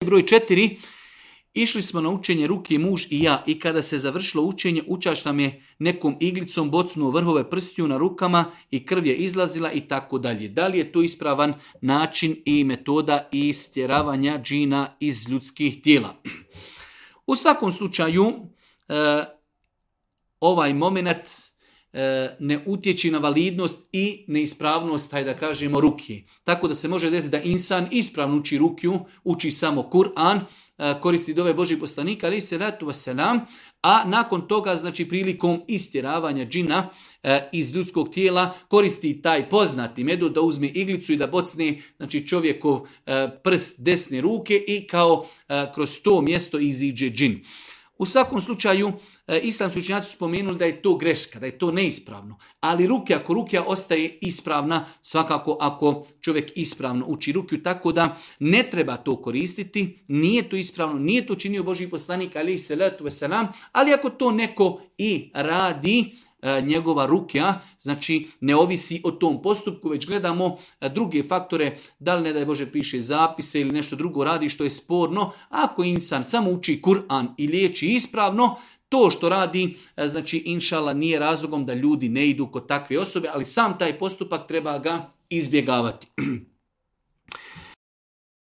Broj 4. Išli smo na učenje ruke muž i ja i kada se završilo učenje, učač nam je nekom iglicom bocnuo vrhove prstiju na rukama i krv je izlazila i tako dalje. Da li je to ispravan način i metoda istjeravanja džina iz ljudskih tijela? U svakom slučaju, ovaj moment ne utječi na validnost i neispravnost, hajde da kažemo, ruke. Tako da se može desiti da insan ispravno uči rukiju, uči samo Kur'an, koristi dove Božih poslanika, ali se ratu vaselam, a nakon toga, znači prilikom istjeravanja džina iz ljudskog tijela, koristi taj poznati metod da uzme iglicu i da bocne, znači, čovjekov prst desne ruke i kao kroz to mjesto iziđe džin. U svakom slučaju, islamski učenjaci su spomenuli da je to greška, da je to neispravno. Ali ako rukija ostaje ispravna, svakako ako čovjek ispravno uči rukiju, tako da ne treba to koristiti, nije to ispravno, nije to činio Božji poslanik, alejhi selatu vesselam, ali ako to neko i radi, njegova rukija, znači ne ovisi o tom postupku, već gledamo druge faktore, da li ne daj Bože piše zapise ili nešto drugo radi što je sporno. Ako insan samo uči Kur'an i liječi ispravno, to što radi, znači inšala nije razlogom da ljudi ne idu kod takve osobe, ali sam taj postupak treba ga izbjegavati.